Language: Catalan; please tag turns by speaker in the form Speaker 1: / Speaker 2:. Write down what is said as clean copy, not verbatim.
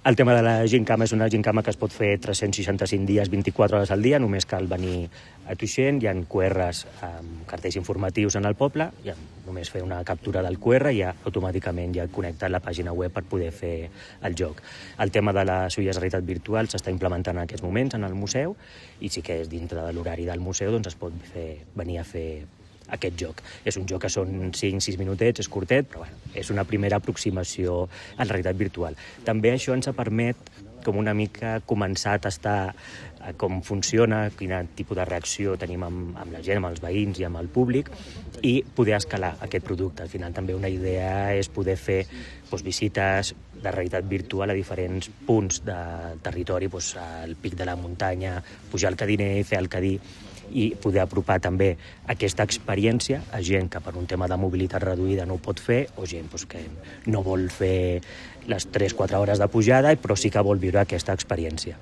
Speaker 1: El tema de la gincama és una gincama que es pot fer 365 dies, 24 hores al dia, només cal venir a Tuixén, hi ha QRs amb cartells informatius en el poble, només fer una captura del QR i ja automàticament ja et connecta a la pàgina web per poder fer el joc. El tema de les ulles de realitat virtual s'està implementant en aquests moments en el museu i sí que és dintre de l'horari del museu, doncs es pot venir a fer aquest joc. És un joc que són 5-6 minutets, és curtet, però és una primera aproximació a la realitat virtual. També això ens permet com una mica començar a tastar com funciona, quin tipus de reacció tenim amb la gent, amb els veïns i amb el públic, i poder escalar aquest producte. Al final també una idea és poder fer visites de realitat virtual a diferents punts del territori, al pic de la muntanya, pujar al Cadiner, fer el Cadí, i poder apropar també aquesta experiència a gent que per un tema de mobilitat reduïda no ho pot fer, o gent que no vol fer les 3-4 hores de pujada, però sí que vol viure aquesta experiència.